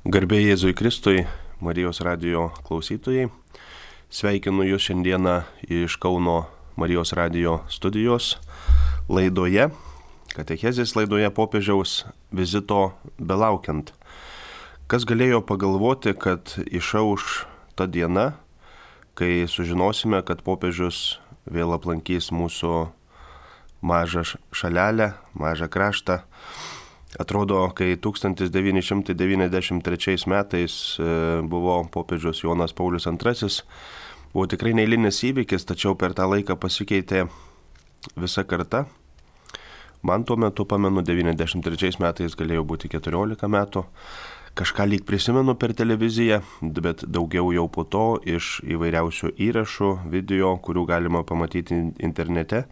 Garbė Jėzui Kristui, Marijos radijo klausytojai. Sveikinu Jūs šiandieną iš Kauno Marijos radijo studijos laidoje, katechezės laidoje popiežiaus vizito belaukiant. Kas galėjo pagalvoti, kad išauš ta diena, kai sužinosime, kad popiežius vėl aplankys mūsų mažą šalelę, mažą kraštą. Atrodo, kai 1993 metais buvo popiežius Jonas Paulius II, buvo tikrai neeilinis įvykis, tačiau per tą laiką pasikeitė visa karta. Man tuo metu, pamenu, 93 metais galėjo būti 14 metų. Kažką lyg prisimenu per televiziją, bet daugiau jau po to iš įvairiausių įrašų, video, kurių galima pamatyti internete.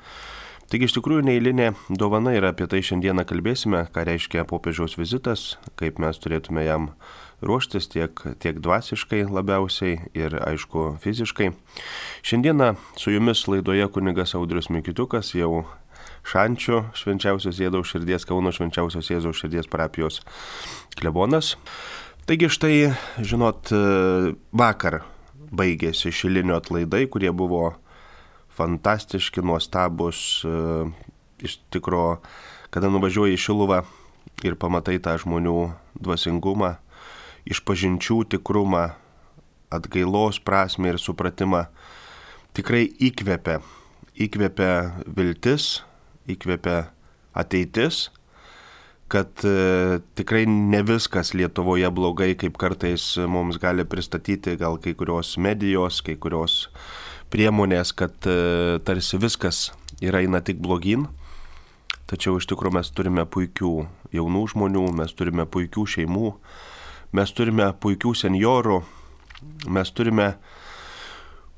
Taigi iš tikrųjų neeilinė dovana ir apie tai šiandieną kalbėsime, ką reiškia popiežiaus vizitas, kaip mes turėtume jam ruoštis tiek dvasiškai labiausiai ir aišku fiziškai. Šiandieną su jumis laidoje kunigas Audrius Mikitiukas, jau Šančių Švenčiausios Jėzaus širdies, Kauno Švenčiausios Jėzaus širdies parapijos klebonas. Taigi štai, žinot, vakar baigėsi šilinio atlaidai, kurie buvo fantastiški, nuostabus, iš tikro, kada nuvažiuoji į Šiluvą ir pamatai tą žmonių dvasingumą, išpažinčių tikrumą, atgailos prasmę ir supratimą, tikrai įkvepia viltis, įkvepia ateitis, kad tikrai ne viskas Lietuvoje blogai, kaip kartais mums gali pristatyti gal kai kurios medijos, kai kurios priemonės, kad tarsi viskas eina tik blogyn. Tačiau iš tikrųjų mes turime puikių jaunų žmonių, mes turime puikių šeimų, mes turime puikių senjorų, mes turime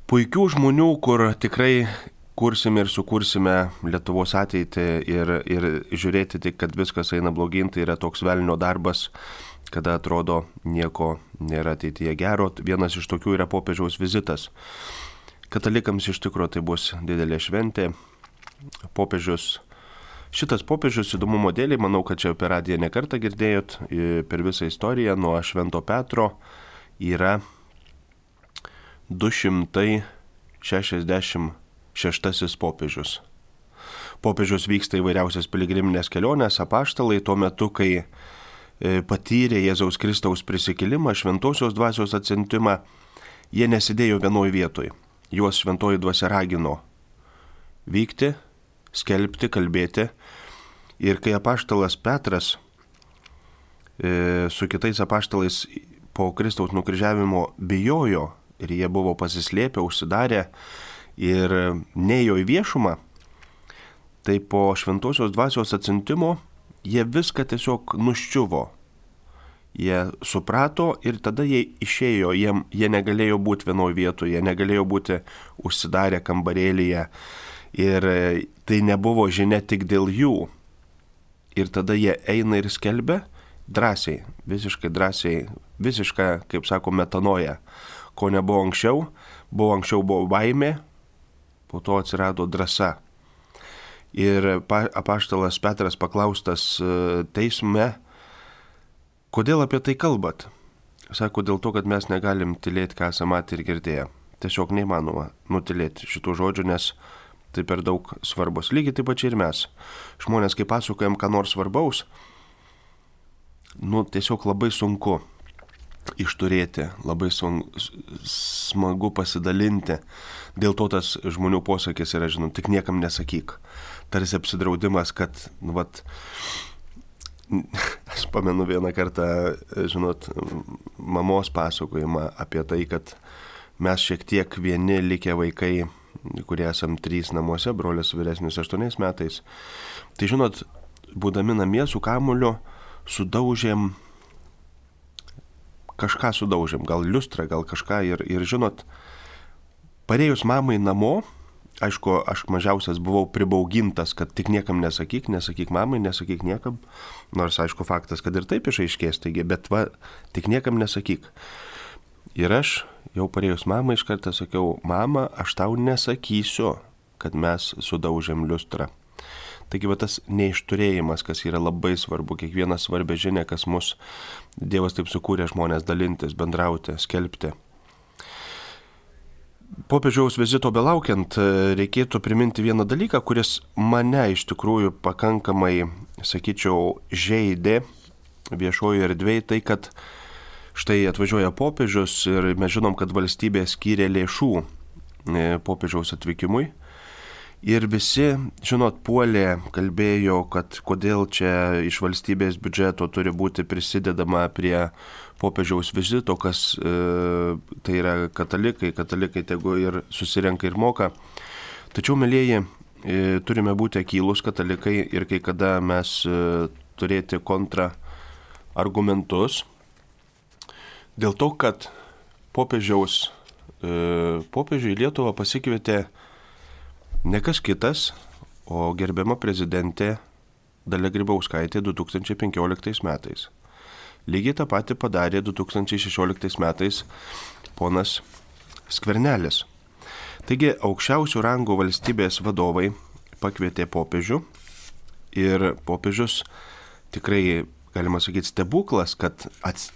puikių žmonių, kur tikrai kursime ir sukursime Lietuvos ateitį ir žiūrėti tik, kad viskas eina blogyn, tai yra toks velnio darbas, kada atrodo nieko nėra ateityje gero. Vienas iš tokių yra popiežiaus vizitas. Katalikams iš tikrųjų tai bus didelė šventė. Šitas popiežius įdomumo dėliai, manau, kad čia per radiją nekartą girdėjot, per visą istoriją nuo Švento Petro yra 266 popiežius. Popiežius vyksta įvairiausias piligriminės kelionės, apaštalai tuo metu, kai patyrė Jėzaus Kristaus prisikėlimą, šventosios dvasios atsiuntimą, jie nesidėjo vienoj vietoj. Juos šventoji dvasia ragino vykti, skelbti, kalbėti. Ir kai apaštalas Petras su kitais apaštalais po Kristaus nukryžiavimo bijojo ir jie buvo pasislėpę, užsidarę ir neėjo į viešumą, tai po šventosios dvasios atsiuntimo jie viską tiesiog nuščiuvo. Jie suprato ir tada jie išėjo, jie negalėjo būti vienoje vietoje, jie negalėjo būti užsidarę kambarėlyje ir tai nebuvo žinia tik dėl jų. Ir tada jie eina ir skelbia drąsiai, visiškai drąsiai, visišką, kaip sako, metanoja, ko nebuvo anksčiau buvo baimė, po to atsirado drąsa. Ir apaštalas Petras paklaustas teisme, kodėl apie tai kalbat? Sako, dėl to, kad mes negalim tylėti, ką esame matę ir girdėję. Tiesiog neįmanoma nutilėti šitų žodžių, nes tai per daug svarbus. Lygiai taip pačiai ir mes. Žmonės, kai pasakojam ką nors svarbaus, tiesiog labai sunku išturėti, labai smagu pasidalinti. Dėl to tas žmonių posakis yra, tik niekam nesakyk. Tarsi apsidraudimas, kad, aš pamenu vieną kartą, mamos pasakojimą apie tai, kad mes šiek tiek vieni likę vaikai, kurie esam 3 namuose, brolis vyresnis 8 metais. Tai būdami namie su kamuliu sudaužėm, gal liustrą, gal kažką ir parėjus mamai namo, aišku, aš mažiausias buvau pribaugintas, kad tik niekam nesakyk mamai, nesakyk niekam, nors aišku faktas, kad ir taip išaiškės, taigi, bet tik niekam nesakyk. Ir aš jau parėjus mamai iš karto sakiau, mama, aš tau nesakysiu, kad mes sudaužėm liustrą. Taigi va tas neišturėjimas, kas yra labai svarbu, kiekvieną svarbę žinią, kas mus Dievas taip sukūrė žmonės dalintis, bendrauti, skelbti. Popiežiaus vizito belaukiant reikėtų priminti vieną dalyką, kuris mane iš tikrųjų pakankamai, sakyčiau, žeidė viešojo erdvėje, tai kad štai atvažiuoja popiežius ir mes žinom, kad valstybė skyrė lėšų popiežiaus atvykimui. Ir visi, žinot, puolė, kalbėjo, kad kodėl čia iš valstybės biudžeto turi būti prisidedama prie popiežiaus vizito, kas tai yra katalikai tegu ir susirenka ir moka. Tačiau, mielieji, turime būti akylūs katalikai ir kai kada mes turėti kontraargumentus dėl to, kad popiežių į Lietuvą pasikvietė ne kas kitas, o gerbiama prezidentė Dalia Grybauskaitė 2015 metais. Lygiai tą patį padarė 2016 metais ponas Skvernelis. Taigi aukščiausių rangų valstybės vadovai pakvietė popiežių ir popiežius tikrai, galima sakyti, stebuklas, kad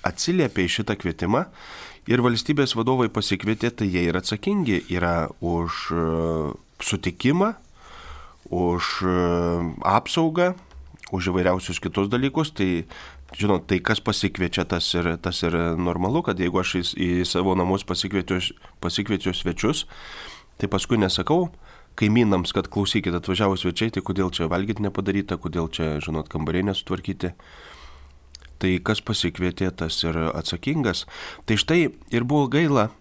atsiliepė į šitą kvietimą ir valstybės vadovai pasikvietė, tai jie yra atsakingi, yra už sutikimą, už apsaugą, už įvairiausius kitus dalykus. Tai, žinot, tai kas pasikviečia, tas ir normalu, kad jeigu aš į savo namus pasikviečiu svečius, tai paskui nesakau kaimynams, kad klausykit, atvažiavo svečiai, tai kodėl čia valgyti nepadaryta, kodėl čia, žinot, kambariai nesutvarkyti. Tai kas pasikvietė, tas ir atsakingas. Tai štai ir buvo gaila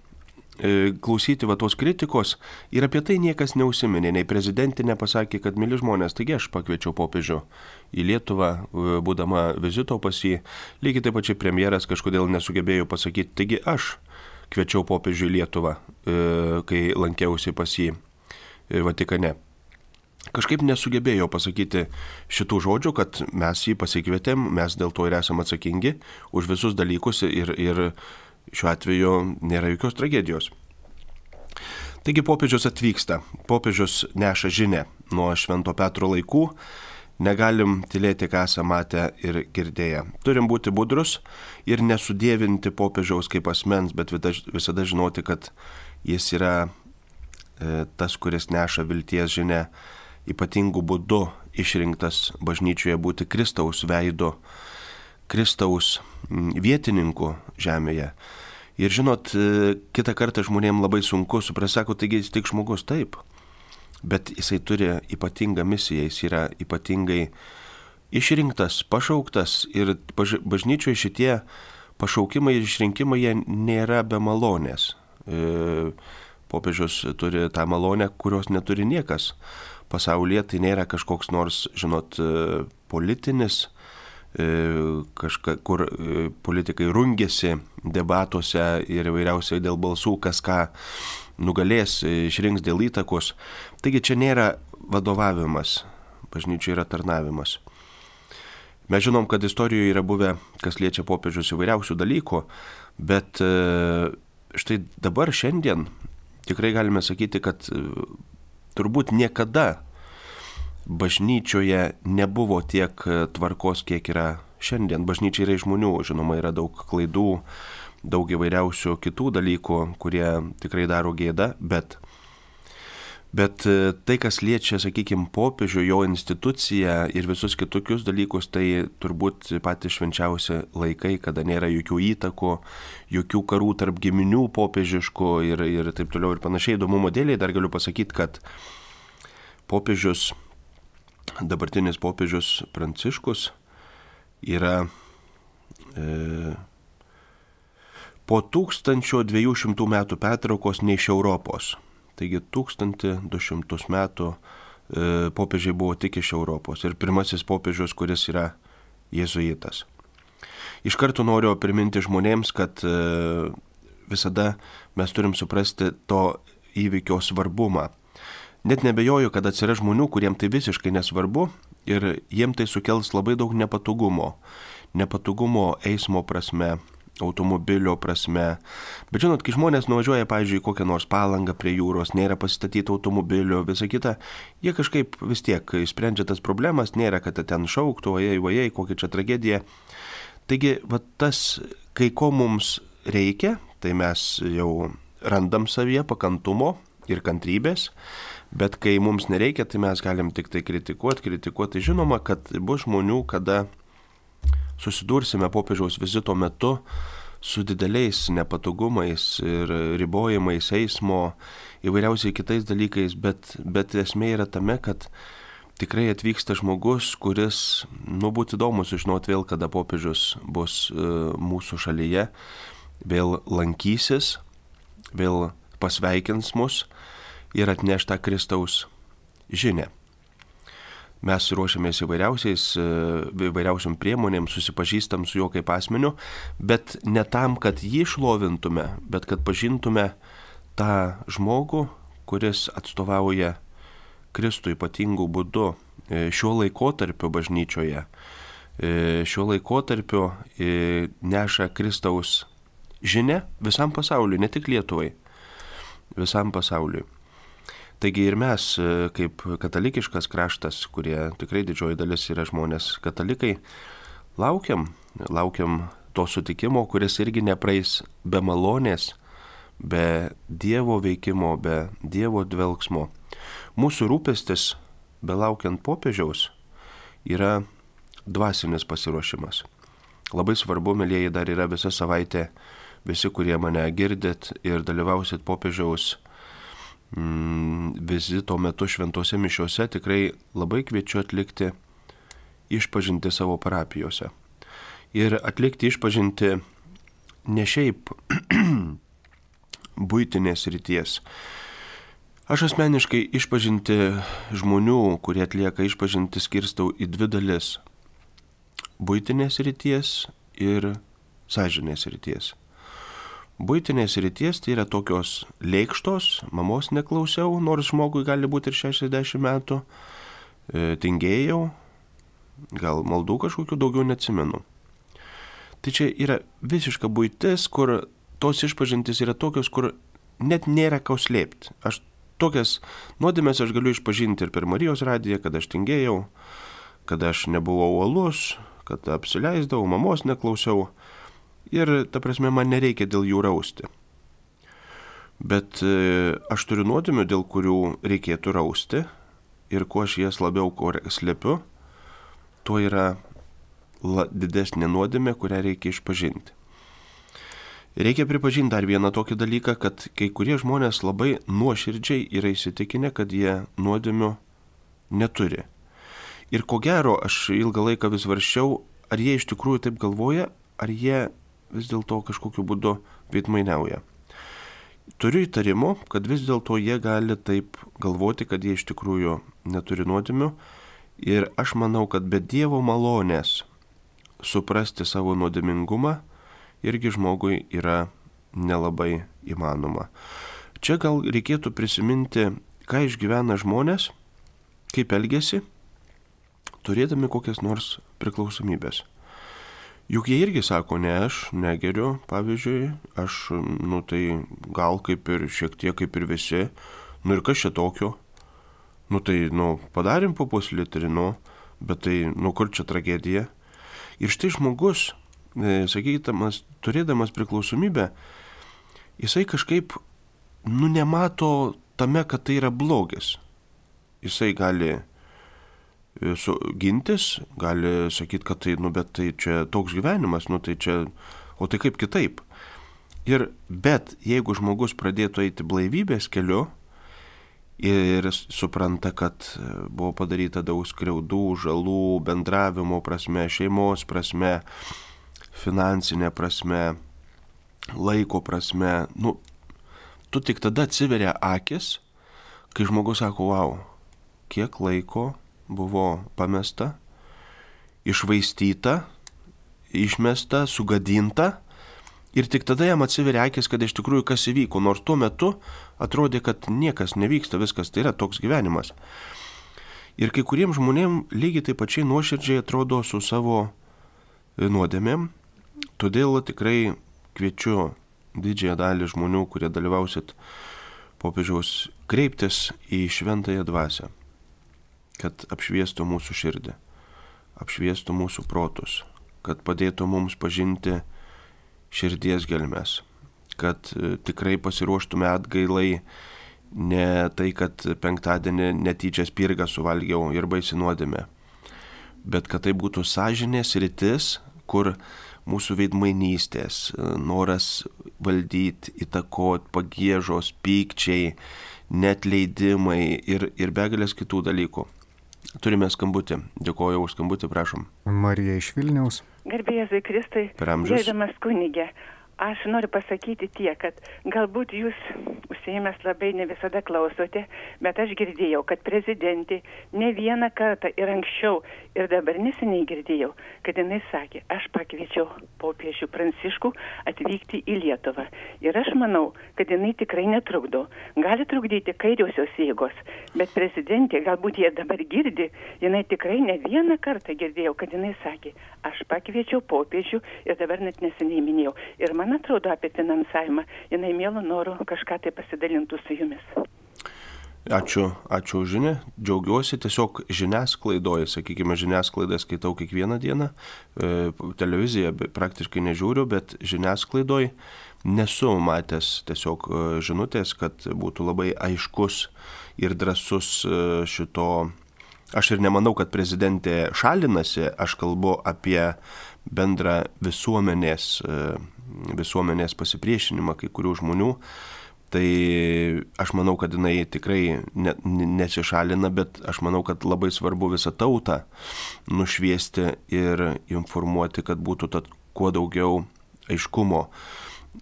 klausyti va tos kritikos ir apie tai niekas neužsiminė, nei prezidentė nepasakė, kad myli žmonės, taigi aš pakviečiau popiežių į Lietuvą, būdama vizito pas jį, lygiai taip pačiai premjeras kažkodėl nesugebėjo pasakyti, taigi aš kviečiau popiežių į Lietuvą, kai lankiausi pas jį Vatikane. Kažkaip nesugebėjo pasakyti šitų žodžių, kad mes jį pasikvietėm, mes dėl to ir esame atsakingi už visus dalykus ir šiuo atveju nėra jokios tragedijos. Taigi popiežius atvyksta, popiežius neša žinią nuo Švento Petro laikų, negalim tylėti, ką esame matę ir girdėję. Turim būti budrus ir nesudievinti popiežiaus kaip asmens, bet visada žinoti, kad jis yra tas, kuris neša vilties žinią, ypatingų būdu išrinktas bažnyčioje būti Kristaus veidu, Kristaus vietininku žemėje. Ir žinot, kitą kartą žmonėms labai sunku suprasti, sako, taigi jis tik žmogus, taip, bet jisai turi ypatingą misiją, jis yra ypatingai išrinktas, pašauktas ir bažnyčioje šitie pašaukimai ir išrinkimai jie nėra be malonės. Popiežius turi tą malonę, kurios neturi niekas pasaulyje, tai nėra kažkoks nors, žinot, politinis, kur politikai rungėsi debatuose ir įvairiausiai dėl balsų, kas ką nugalės, išrinks dėl įtakos. Taigi čia nėra vadovavimas, bažnyčia yra tarnavimas. Mes žinom, kad istorijoje yra buvę, kas liečia popiežius įvairiausių dalykų, bet štai dabar šiandien tikrai galime sakyti, kad turbūt niekada bažnyčioje nebuvo tiek tvarkos, kiek yra šiandien. Bažnyčia yra žmonių, žinoma, yra daug klaidų, daug įvairiausių kitų dalykų, kurie tikrai daro gėdą, bet tai, kas liečia, sakykime, popiežių, jo instituciją ir visus kitokius dalykus, tai turbūt patys švenčiausi laikai, kada nėra jokių įtakų, jokių karų tarp giminių popiežiškų ir taip toliau ir panašiai. Įdomumo dėliai dar galiu pasakyti, kad popiežius, dabartinis popiežius Pranciškus yra po 1200 metų pertraukos ne iš Europos. Taigi 1200 metų popiežiai buvo tik iš Europos ir pirmasis popiežius, kuris yra jėzuitas. Iš karto noriu priminti žmonėms, kad visada mes turim suprasti to įvykio svarbumą. Net nebejoju, kad atsiras žmonių, kuriems tai visiškai nesvarbu ir jiems tai sukels labai daug nepatogumo. Nepatogumo eismo prasme, automobilio prasme. Bet žinot, kai žmonės nuvažiuoja, pavyzdžiui, kokią nors Palangą prie jūros, nėra pasistatyti automobilio, visa kita, jie kažkaip vis tiek sprendžia tas problemas, nėra, kad ten šauktų, ojei, kokia čia tragedija. Taigi, va tas, kai ko mums reikia, tai mes jau randam savyje pakantumo ir kantrybės, bet kai mums nereikia, tai mes galim tik tai kritikuoti. Žinoma, kad bus žmonių, kada susidursime popiežiaus vizito metu su dideliais nepatogumais ir ribojimais eismo, įvairiausiai kitais dalykais, bet esmė yra tame, kad tikrai atvyksta žmogus, kuris, būtų įdomu sužinoti vėl, kada popiežius bus mūsų šalyje, vėl lankysis, vėl pasveikins mus ir atneš tą Kristaus žinią. Mes ruošiamės įvairiausiom priemonėm, susipažįstam su juo kaip asmeniu, bet ne tam, kad jį šlovintume, bet kad pažintume tą žmogų, kuris atstovauja Kristų ypatingų būdu šiuo laikotarpiu bažnyčioje. Šiuo laikotarpiu neša Kristaus žinią visam pasauliui, ne tik Lietuvai, visam pasauliui. Taigi ir mes, kaip katalikiškas kraštas, kurie tikrai didžioji dalis yra žmonės katalikai, laukiam to sutikimo, kuris irgi nepraeis be malonės, be Dievo veikimo, be Dievo dvelksmo. Mūsų rūpestis, belaukiant popiežiaus, yra dvasinis pasiruošimas. Labai svarbu, mielieji, dar yra visa savaitė, visi, kurie mane girdit ir dalyvausit popiežiaus vizito metu šventose mišiose, tikrai labai kviečiu atlikti išpažinti savo parapijose. Ir atlikti išpažinti ne šiaip buitinės ryties. Aš asmeniškai išpažinti žmonių, kurie atlieka išpažinti, skirstau į dvi dalis. Buitinės ryties ir sąžinės ryties. Buitinės ryties tai yra tokios lėkštos, mamos neklausiau, nors žmogui gali būti ir 60 metų, tingėjau, gal maldų kažkokių daugiau neatsimenu. Tai čia yra visiška buitis, kur tos išpažintis yra tokios, kur net nėra ką slėpti. Aš tokias nuodėmes aš galiu išpažinti ir per Marijos radiją, kad aš tingėjau, kad aš nebuvau uolus, kad apsileisdavau, mamos neklausiau. Ir, ta prasme, man nereikia dėl jų rausti. Bet aš turiu nuodėmių, dėl kurių reikėtų rausti. Ir kuo aš jas labiau slepiu, tuo yra didesnė nuodėmė, kurią reikia išpažinti. Reikia pripažinti dar vieną tokį dalyką, kad kai kurie žmonės labai nuoširdžiai yra įsitikinę, kad jie nuodėmių neturi. Ir ko gero, aš ilgą laiką vis varščiau, ar jie iš tikrųjų taip galvoja, ar jie vis dėlto kažkokiu būdu veidmainiauja. Turiu įtarimų, kad vis dėlto jie gali taip galvoti, kad jie iš tikrųjų neturi nuodėmių. Ir aš manau, kad be Dievo malonės suprasti savo nuodėmingumą irgi žmogui yra nelabai įmanoma. Čia gal reikėtų prisiminti, ką išgyvena žmonės, kaip elgiasi, turėdami kokias nors priklausomybės. Juk jie irgi sako, ne, aš negeriu, pavyzdžiui, aš, tai gal kaip ir šiek tiek kaip ir visi, ir kas čia tokio, tai, padarėm po puslitrį, bet tai, kur čia tragedija. Ir štai žmogus, sakydamas, turėdamas priklausomybę, jisai kažkaip, nemato tame, kad tai yra blogis. Jisai gali gintis, gali sakyti, kad tai, bet tai čia toks gyvenimas, tai čia, o tai kaip kitaip. Bet jeigu žmogus pradėtų eiti blaivybės keliu ir supranta, kad buvo padaryta daug skriaudų, žalų, bendravimo prasme, šeimos prasme, finansinė prasme, laiko prasme, tu tik tada atsiveria akis, kai žmogus sako, wow, kiek laiko buvo pamesta, išvaistyta, išmesta, sugadinta ir tik tada jam atsiveria akis, kad iš tikrųjų kas įvyko, nors tuo metu atrodė, kad niekas nevyksta, viskas tai yra toks gyvenimas. Ir kai kuriems žmonėms lygiai taip pačiai nuoširdžiai atrodo su savo nuodėmėm Todėl tikrai kviečiu didžiąją dalį žmonių, kurie dalyvausit popiežiaus, kreiptis į šventąją dvasią, kad apšviestų mūsų širdį, apšviestų mūsų protus, kad padėtų mums pažinti širdies gelmes, kad tikrai pasiruoštume atgailai, ne tai, kad penktadienį netyčia spirgą suvalgiau ir baisi nuodėmė, bet kad tai būtų sąžinės rytis, kur mūsų veidmainystės, noras valdyti, įtakoti, pagiežos, pykčiai, neatleidimai ir begalės kitų dalykų. Turime skambutį. Dėkoju už skambutį, prašom. Marija iš Vilniaus. Garbė Jėzui Kristui, gerbiamas kunige, aš noriu pasakyti tiek, kad galbūt jūs užsiėmęs labai ne visada klausote, bet aš girdėjau, kad prezidentė ne vieną kartą ir anksčiau, ir dabar neseniai girdėjau, kad jinai sakė, aš pakviečiau popiežių Pranciškų atvykti į Lietuvą. Ir aš manau, kad jinai tikrai netrukdo. Gali trukdyti kairiosios jėgos, bet prezidentė, galbūt jie dabar girdi, jinai tikrai ne vieną kartą girdėjau, kad jinai sakė, aš pakviečiau popiežių ir dabar net neseniai minėjau. Ir man atrodo apie finansavimą, jinai mielų norų kažką tai pasidalintų su jumis. Ačiū už žinią. Džiaugiuosi tiesiog žiniasklaidoje, sakykime, žiniasklaidą skaitau kiekvieną dieną, televiziją praktiškai nežiūriu, bet žiniasklaidoje nesu matęs tiesiog žinutės, kad būtų labai aiškus ir drąsus šito. Aš ir nemanau, kad prezidentė šalinasi, aš kalbu apie bendrą visuomenės pasipriešinimą kai kurių žmonių. Tai aš manau, kad jinai tikrai nesišalina, bet aš manau, kad labai svarbu visą tautą nušviesti ir informuoti, kad būtų kuo daugiau aiškumo.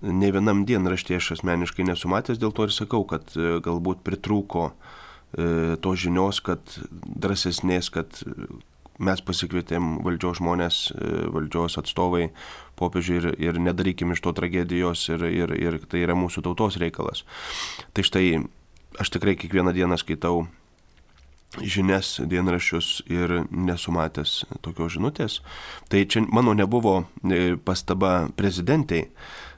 Ne vienam dienraštyje aš asmeniškai nesu matęs, dėl to ir sakau, kad galbūt pritrūko to žinios, kad drąsesnės, kad mes pasikvietėm valdžios žmonės, valdžios atstovai, popiežiui ir nedarykim iš to tragedijos ir tai yra mūsų tautos reikalas. Tai štai aš tikrai kiekvieną dieną skaitau žinias, dienraščius ir nesu matęs tokios žinutės. Tai čia mano nebuvo pastaba prezidentei,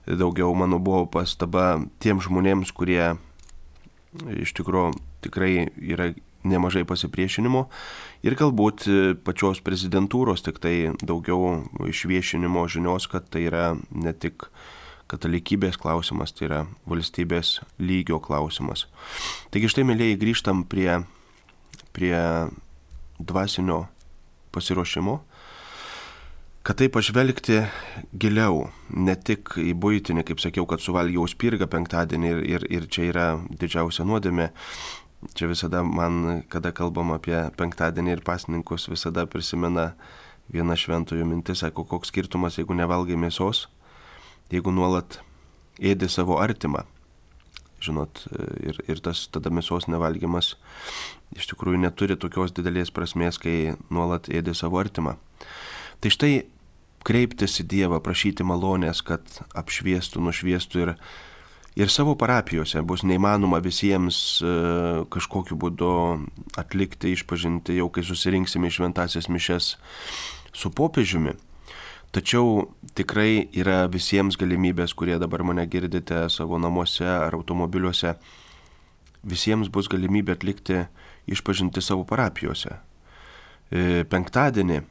daugiau mano buvo pastaba tiem žmonėms, kurie iš tikrųjų tikrai yra nemažai pasipriešinimo ir galbūt pačios prezidentūros tik tai daugiau išviešinimo žinios, kad tai yra ne tik katalikybės klausimas, tai yra valstybės lygio klausimas. Taigi štai, mėlyjei, grįžtam prie dvasinio pasiruošimo, kad tai pažvelgti giliau, ne tik į buitinį, kaip sakiau, kad suvalgiau spirgą penktadienį ir čia yra didžiausia nuodėmė. Čia visada man, kada kalbam apie penktadienį ir pasninkus, visada prisimena viena šventųjų mintis, sako, koks skirtumas, jeigu nevalgai mėsos, jeigu nuolat ėdi savo artimą. Žinot, ir tas tada mėsos nevalgymas iš tikrųjų neturi tokios didelės prasmės, kai nuolat ėdi savo artimą. Tai štai kreiptis į Dievą, prašyti malonės, kad apšviestų, nušviestų ir savo parapijose bus neįmanoma visiems kažkokiu būdu atlikti, išpažinti, jau kai susirinksime į šventąsias mišias su popiežiumi. Tačiau tikrai yra visiems galimybės, kurie dabar mane girdite savo namuose ar automobiliuose, visiems bus galimybė atlikti išpažinti savo parapijose. Penktadienį,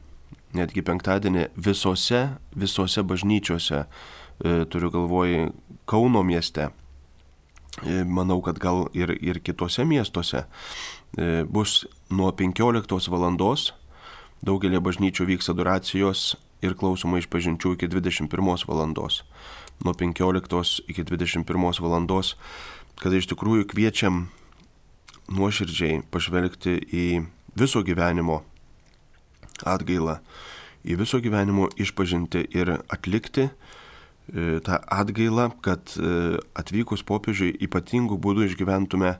netgi penktadienį visose bažnyčiose, turiu galvoj Kauno mieste, manau, kad gal ir kitose miestuose, bus nuo 15 valandos, daugelį bažnyčių vyks adoracijos ir klausoma išpažinčių iki 21 valandos. Nuo 15 iki 21 valandos, kada iš tikrųjų kviečiam nuoširdžiai pažvelgti į viso gyvenimo atgailą, į viso gyvenimo išpažinti ir atlikti tą atgailą, kad atvykus popiežiui ypatingų būdų išgyventume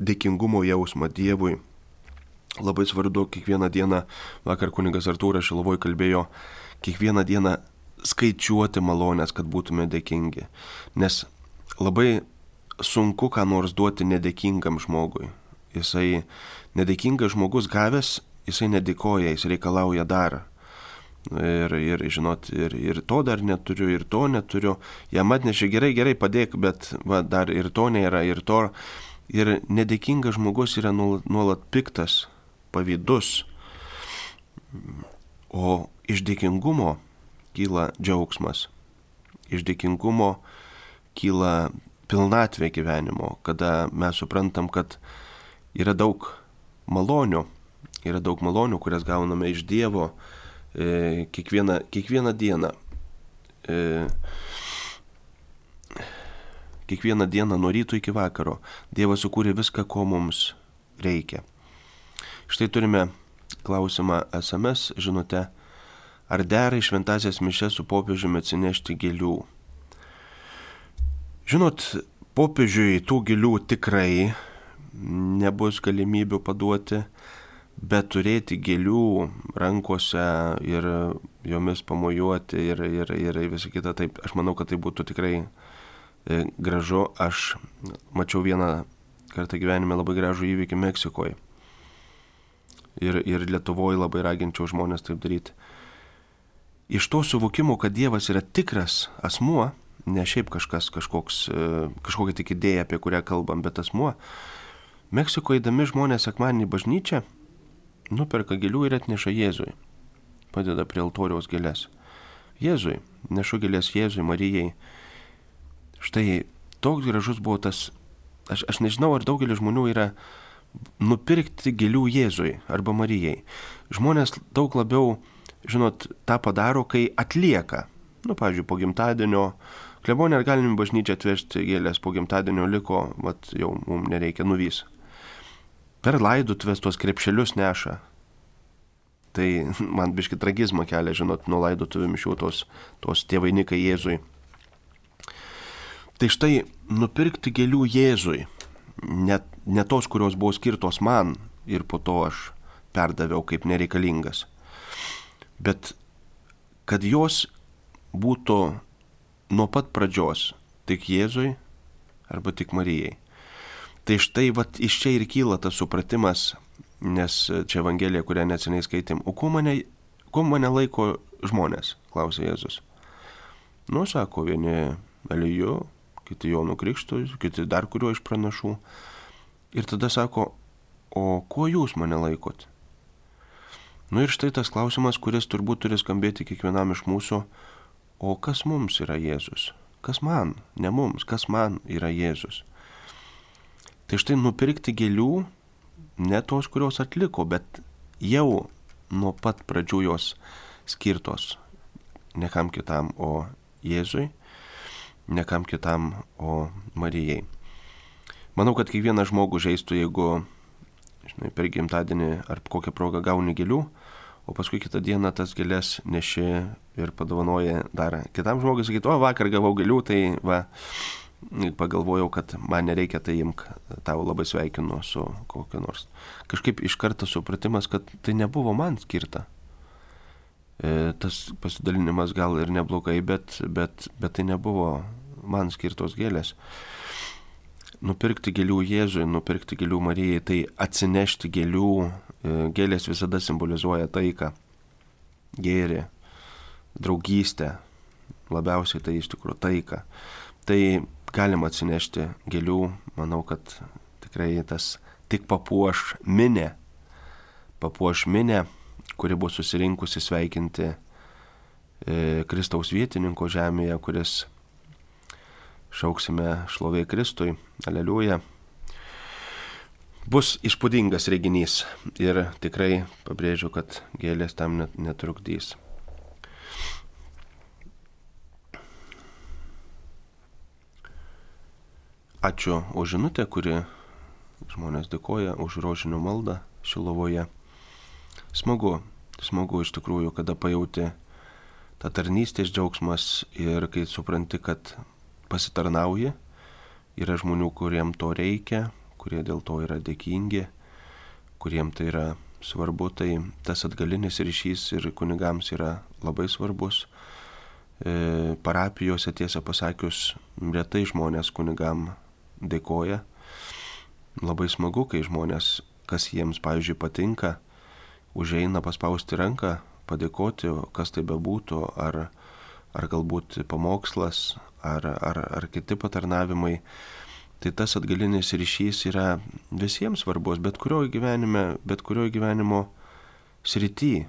dėkingumo jausmą Dievui. Labai svarbu kiekvieną dieną, vakar kunigas Artūras Šiluvoj kalbėjo, kiekvieną dieną skaičiuoti malonės, kad būtume dėkingi. Nes labai sunku ką nors duoti nedėkingam žmogui. Jisai nedėkingas žmogus gavęs, jisai nedėkoja, jis reikalauja dar. Ir žinot, ir to dar neturiu, ir to neturiu. Jam atnešė gerai, padėk, bet va, dar ir to nėra, ir to. Ir nedėkingas žmogus yra nuolat piktas, pavydus. O iš dėkingumo kyla džiaugsmas. Iš dėkingumo kyla pilnatvė gyvenimo, kada mes suprantam, kad yra daug malonių, kurias gauname iš Dievo kiekvieną dieną. Kiekvieną dieną nuo ryto iki vakaro Dievas sukūrė viską, ko mums reikia. Štai turime klausimą SMS žinute, ar dera į šventąsias mišias su popiežiumi atsinešti gėlių? Žinot, popiežiui tų gėlių tikrai nebus galimybių paduoti, bet turėti gėlių rankose ir jomis pamojuoti ir visą kitą, taip, aš manau, kad tai būtų tikrai gražu. Aš mačiau vieną kartą gyvenime labai gražų įvykį Meksikoje. Ir Lietuvoje labai raginčiau žmonės taip daryti. Iš to suvokimo, kad Dievas yra tikras asmuo, ne šiaip kažkokia tik idėja, apie kurią kalbam, bet asmuo. Meksikoje eidami žmonės sekmadienį į bažnyčią nuperka gėlių ir atneša Jėzui. Padeda prie altoriaus gėlės. Jėzui, nešu gėlės Jėzui, Marijai. Štai toks gražus buvo tas, aš nežinau, ar daugelis žmonių yra nupirkti gėlių Jėzui arba Marijai. Žmonės daug labiau, žinot, tą padaro, kai atlieka. Pavyzdžiui, po gimtadienio, klebonė, ar galim į bažnyčią atvežti gėlės, po gimtadienio liko, jau mums nereikia, nuvys. Per laidotuvės tuos krepšelius neša. Tai man biški tragizmą kelia, žinot, nuo laidotuvių mišių tos tie vainikai Jėzui. Tai štai nupirkti gėlių Jėzui, ne tos, kurios buvo skirtos man ir po to aš perdaviau kaip nereikalingas, bet kad jos būtų nuo pat pradžios tik Jėzui arba tik Marijai. Tai štai iš čia ir kyla tas supratimas, nes čia Evangelija, kurią neseniai skaitėm, o kuo mane laiko žmonės, klausė Jėzus. Sako, vieni Eliju, kiti Jonu Krikštui, kiti dar kurio iš pranašų. Ir tada sako, o kuo jūs mane laikot? Ir štai tas klausimas, kuris turbūt turi skambėti kiekvienam iš mūsų, o kas mums yra Jėzus? Kas man, ne mums, kas man yra Jėzus? Tai štai nupirkti gėlių, ne tos, kurios atliko, bet jau nuo pat pradžių jos skirtos ne kam kitam, o Jėzui, ne kam kitam, o Marijai. Manau, kad kiekvieną žmogų žaistų, jeigu, per gimtadienį ar kokią progą gauni gėlių, o paskui kitą dieną tas gėlės neši ir padovanoji dar kitam žmogui, sakytų, vakar gavau gėlių, tai pagalvojau, kad man nereikia, tai imk, tau labai sveikinu su kokiu nors. Kažkaip iš karto supratimas, kad tai nebuvo man skirta. Tas pasidalinimas gal ir neblogai, bet tai nebuvo man skirtos gėlės. Nupirkti gėlių Jėzui, nupirkti gėlių Marijai, tai atsinešti gėlių. Gėlės visada simbolizuoja taiką, gėrį, draugystę, labiausiai tai iš tikrųjų taika. Tai galima atsinešti gėlių, manau, kad tikrai tas tik papuoš minę, kuri bus susirinkusi sveikinti Kristaus vietininko žemėje, kuris šauksime šlovė Kristui, aleliuja. Bus įspūdingas reginys ir tikrai pabrėžiu, kad gėlės tam netrukdys. Ačiū už žinutę, kuri žmonės dėkoja už rožinio maldą Šilovoje. Smagu iš tikrųjų, kada pajauti tą tarnystės džiaugsmas ir kai supranti, kad pasitarnauji, yra žmonių, kuriem to reikia, kurie dėl to yra dėkingi, kuriem tai yra svarbu, tai tas atgalinis ryšys ir kunigams yra labai svarbus. Parapijose, tiesą pasakius, retai žmonės kunigam dėkoja. Labai smagu, kai žmonės, kas jiems, pavyzdžiui, patinka, užeina paspausti ranką padėkoti, kas tai bebūtų, ar galbūt pamokslas, ar kiti patarnavimai. Tai tas atgalinis ryšys yra visiems svarbus, bet kurioje gyvenimo srity.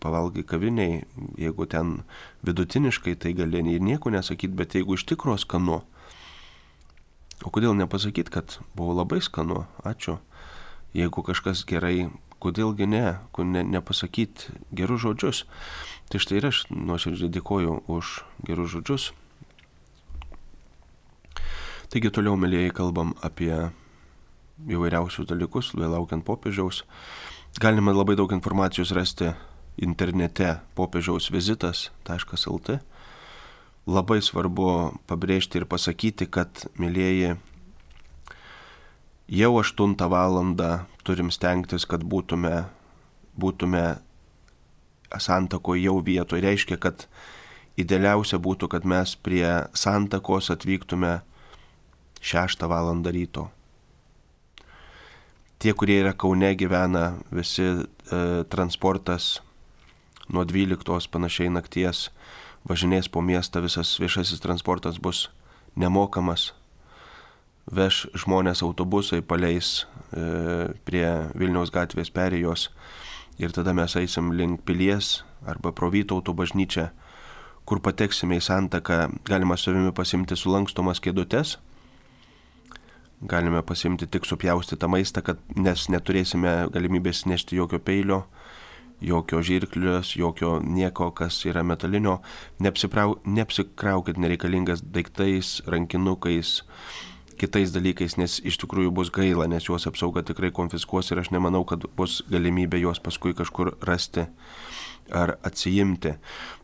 Pavalgai kaviniai, jeigu ten vidutiniškai, tai gali ir nieko nesakyti, bet jeigu iš tikro skanu, o kodėl nepasakyti, kad buvo labai skanu, ačiū. Jeigu kažkas gerai, kodėlgi nepasakyti gerus žodžius. Tai štai ir aš nuoširdžiai dėkoju už gerus žodžius. Taigi toliau, mielieji, kalbam apie įvairiausius dalykus, laukiant popiežiaus. Galima labai daug informacijos rasti internete popiežiausvizitas.lt. Labai svarbu pabrėžti ir pasakyti, kad, mielieji, jau 8 valandą turim stengtis, kad būtume santakoje jau vietoje. Reiškia, kad idealiausia būtų, kad mes prie santakos atvyktume 6 valandą ryto. Tie, kurie yra Kaune, gyvena, visi transportas nuo 12 panašiai nakties važinės po miestą, visas viešasis transportas bus nemokamas. Veš žmonės autobusai, paleis prie Vilniaus gatvės perėjos ir tada mes eisim link Pilies arba pro Vytauto bažnyčią, kur pateksime į santaką. Galima savimi pasimti sulankstomas kėdutes. Galime pasimti tik supjaustytą maistą, nes neturėsime galimybės nešti jokio peilio, jokio žirklios, jokio nieko, kas yra metalinio. Neapsikraukit nereikalingas daiktais, rankinukais, kitais dalykais, nes iš tikrųjų bus gaila, nes juos apsauga tikrai konfiskuos ir aš nemanau, kad bus galimybė juos paskui kažkur rasti ar atsiimti.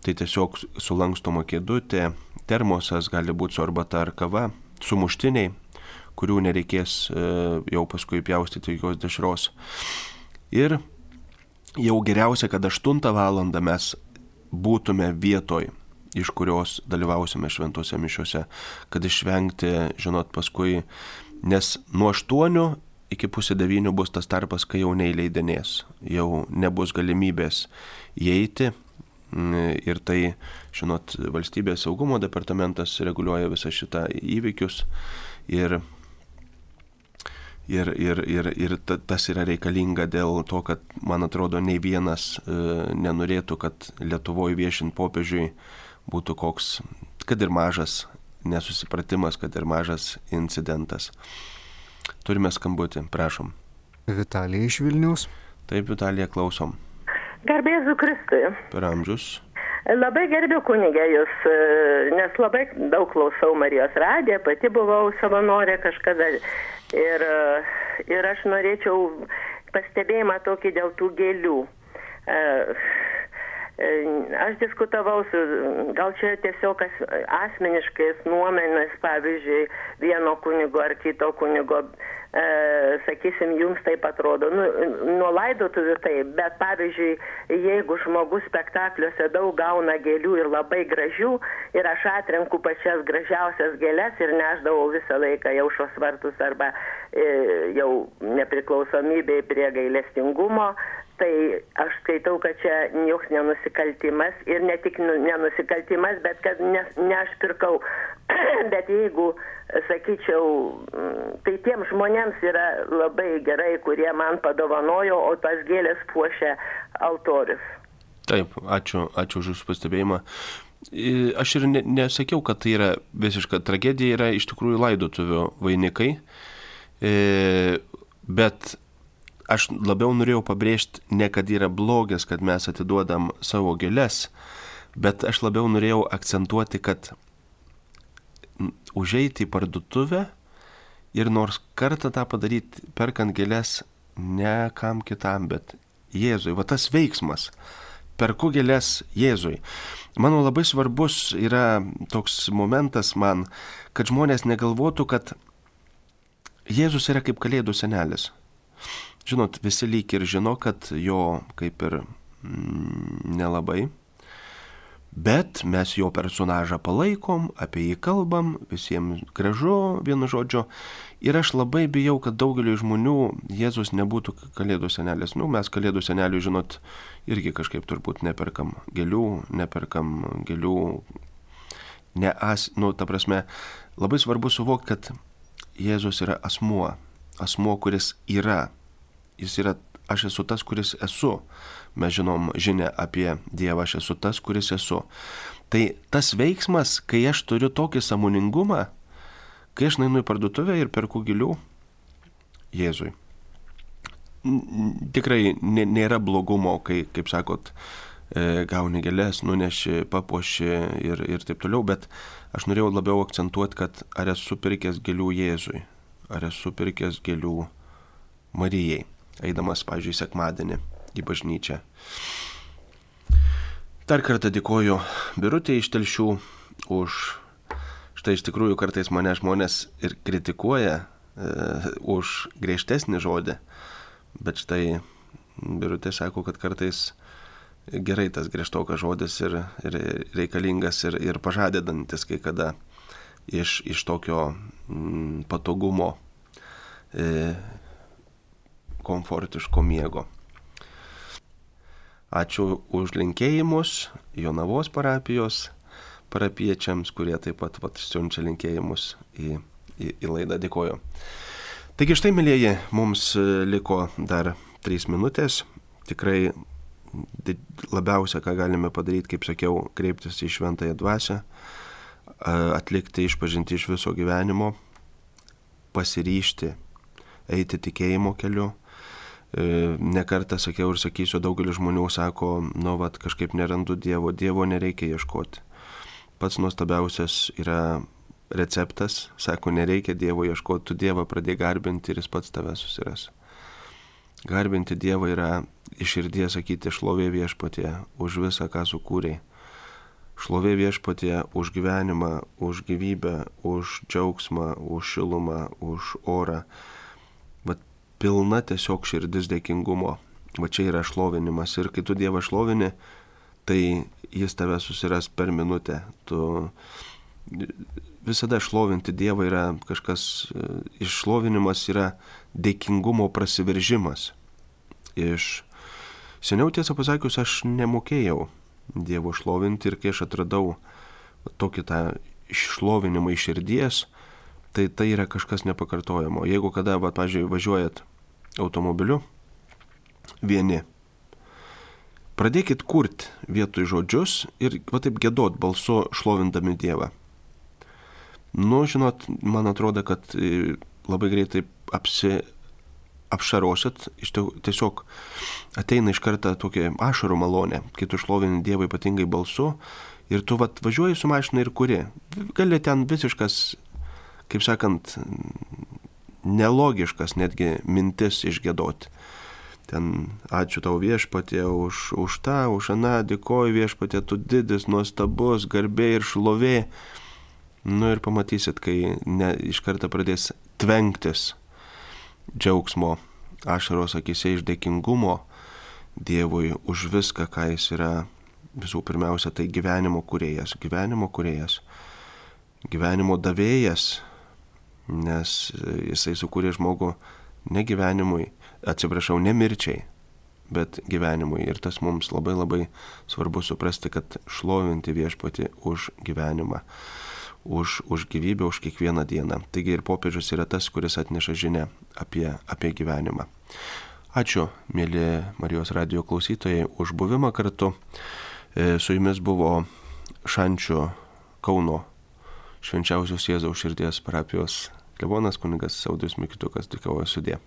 Tai tiesiog sulankstoma kėdutė, termosas, gali būti su arbata ar kava, sumuštiniai, kurių nereikės jau paskui pjaustyti jokios dešros. Ir jau geriausia, kad 8 valandą mes būtume vietoj, iš kurios dalyvausime šventose mišiose, kad išvengti, paskui, nes nuo 8 iki pusė 9 bus tas tarpas, kai jau neįleidinės, jau nebus galimybės įeiti. Ir tai, valstybės saugumo departamentas reguliuoja visą šitą įvykius ir tas yra reikalinga dėl to, kad, man atrodo, nei vienas nenorėtų, kad Lietuvoje viešint popiežiui būtų koks, kad ir mažas nesusipratimas, kad ir mažas incidentas. Turime skambutį, prašom. Vitalija iš Vilniaus. Taip, Vitalija, klausom. Garbėzu Kristui. Per amžius. Labai gerbiu kunigę jūs, nes labai daug klausau Marijos radiją, pati buvau savanorė kažkada ir aš norėčiau pastebėjimą tokį dėl tų gėlių. Aš diskutavau su, gal čia tiesiog asmeniškais nuomonės, pavyzdžiui, vieno kunigo ar kito kunigo, sakysim, jums taip atrodo, nuo laidotuvių taip, bet pavyzdžiui, jeigu žmogus spektakliuose daug gauna gėlių ir labai gražių, ir aš atrenku pačias gražiausias gėles ir nešdavau visą laiką į Aušros vartus arba jau nepriklausomybei prie gailestingumo, tai aš skaitau, kad čia joks nenusikaltimas ir ne tik nenusikaltimas, bet kad ne aš pirkau. Bet jeigu, sakyčiau, tai tiems žmonėms yra labai gerai, kurie man padovanojo, o tas gėlės puošia altorius. Taip, ačiū už jūsų pastebėjimą. Aš ir nesakiau, kad tai yra visiška tragedija, yra iš tikrųjų laidotuvių vainikai, bet aš labiau norėjau pabrėžti, ne kad yra blogis, kad mes atiduodam savo gėles, bet aš labiau norėjau akcentuoti, kad užeiti į parduotuvę ir nors kartą tą padaryti, perkant gėles ne kam kitam, bet Jėzui. Va tas veiksmas. Perku gėles Jėzui. Mano labai svarbus yra toks momentas man, kad žmonės negalvotų, kad Jėzus yra kaip Kalėdų senelis. Žinot, visi lyg ir žino, kad jo kaip ir nelabai, Bet mes jo personažą palaikom, apie jį kalbam, visiems gražu, vienu žodžiu. Ir aš labai bijau, kad daugeliu žmonių Jėzus nebūtų Kalėdų senelis. Mes Kalėdų senelių, žinot, irgi kažkaip turbūt neperkam gėlių, ta prasme, labai svarbu suvokti, kad Jėzus yra asmuo, kuris yra. Jis yra, aš esu tas, kuris esu. Mes žinom žinią apie Dievą, aš esu tas, kuris esu. Tai tas veiksmas, kai aš turiu tokį sąmoningumą, kai aš nueinu į parduotuvę ir perku gėlių Jėzui. Tikrai nėra blogumo, kai, kaip sakot, gauni gėlės, nuneši, papuoši ir taip toliau, bet aš norėjau labiau akcentuoti, kad ar esu pirkęs gėlių Jėzui, ar esu pirkęs gėlių Marijai, eidamas, pavyzdžiui, sekmadienį į bažnyčią. Dar kartą dėkoju Birutei iš Telšių už štai iš tikrųjų kartais mane žmonės ir kritikuoja už griežtesnį žodį, bet štai Birutė sako, kad kartais gerai tas griežtokas žodis ir reikalingas ir pažadedantis kai kada iš tokio patogumo, komfortiško miego. Ačiū už linkėjimus Jonavos parapiečiams, kurie taip pat siunčia linkėjimus į laidą. Dėkoju. Taigi štai, mėlyjeji, mums liko dar 3 minutės. Tikrai labiausia, ką galime padaryti, kaip sakiau, kreiptis į Šventąją Dvasią, atlikti išpažinti iš viso gyvenimo, pasiryžti eiti tikėjimo keliu. Nekartą sakiau ir sakysiu, daugelis žmonių sako, kažkaip nerandu Dievo nereikia ieškoti. Pats nuostabiausias yra receptas, sako, nereikia Dievo ieškoti, tu Dievą pradėk garbinti ir jis pats tave susiras. Garbinti Dievą yra iš širdies sakyti šlovė Viešpatie už visą, ką sukūrei. Šlovė Viešpatie už gyvenimą, už gyvybę, už džiaugsmą, už šilumą, už orą. Pilna tiesiog širdis dėkingumo. Va čia yra šlovinimas. Ir kai tu Dievą šlovini, tai jis tave susiras per minutę. Tu visada šlovinti Dievą yra kažkas, iššlovinimas yra dėkingumo prasiveržimas. Seniau, tiesą pasakius, aš nemokėjau Dievo šlovinti ir kai aš atradau tokį tą šlovinimą iš širdies, tai yra kažkas nepakartojamo. Jeigu kada, pavyzdžiui, važiuojat automobiliu vieni, pradėkit kurti vietoj žodžius ir taip giedot balsu šlovindami Dievą. Žinot, man atrodo, kad labai greitai apšarosit, tiesiog ateina iš karto tokia ašarų malonė, kai tu šlovini Dievą ypatingai balsu ir tu važiuoji su mašina ir kuri. Gali ten visiškas, kaip sakant, nelogiškas netgi mintis išgiedoti. Ten ačiū tau Viešpatie už tą, už aną, dėkoju Viešpatie, tu didis, nuostabus, garbė ir šlovė. Ir pamatysit, kai iš karto pradės tvenktis džiaugsmo ašaros akyse iš dėkingumo Dievui už viską, ką jis yra. Visų pirmiausia, tai gyvenimo kūrėjas, gyvenimo davėjas, nes jisai sukūrė žmogų ne gyvenimui, ne mirčiai, bet gyvenimui. Ir tas mums labai labai svarbu suprasti, kad šlovinti Viešpatį už gyvenimą, už gyvybę, už kiekvieną dieną. Taigi ir popiežius yra tas, kuris atneša žinią apie gyvenimą. Ačiū, mėly Marijos radijo klausytojai, už buvimą kartu. Su jumis buvo Šančių Kauno Švenčiausios Jėzaus širdies parapijos klebonas kunigas Audrius Mikitukas. Dėkoju, sudie.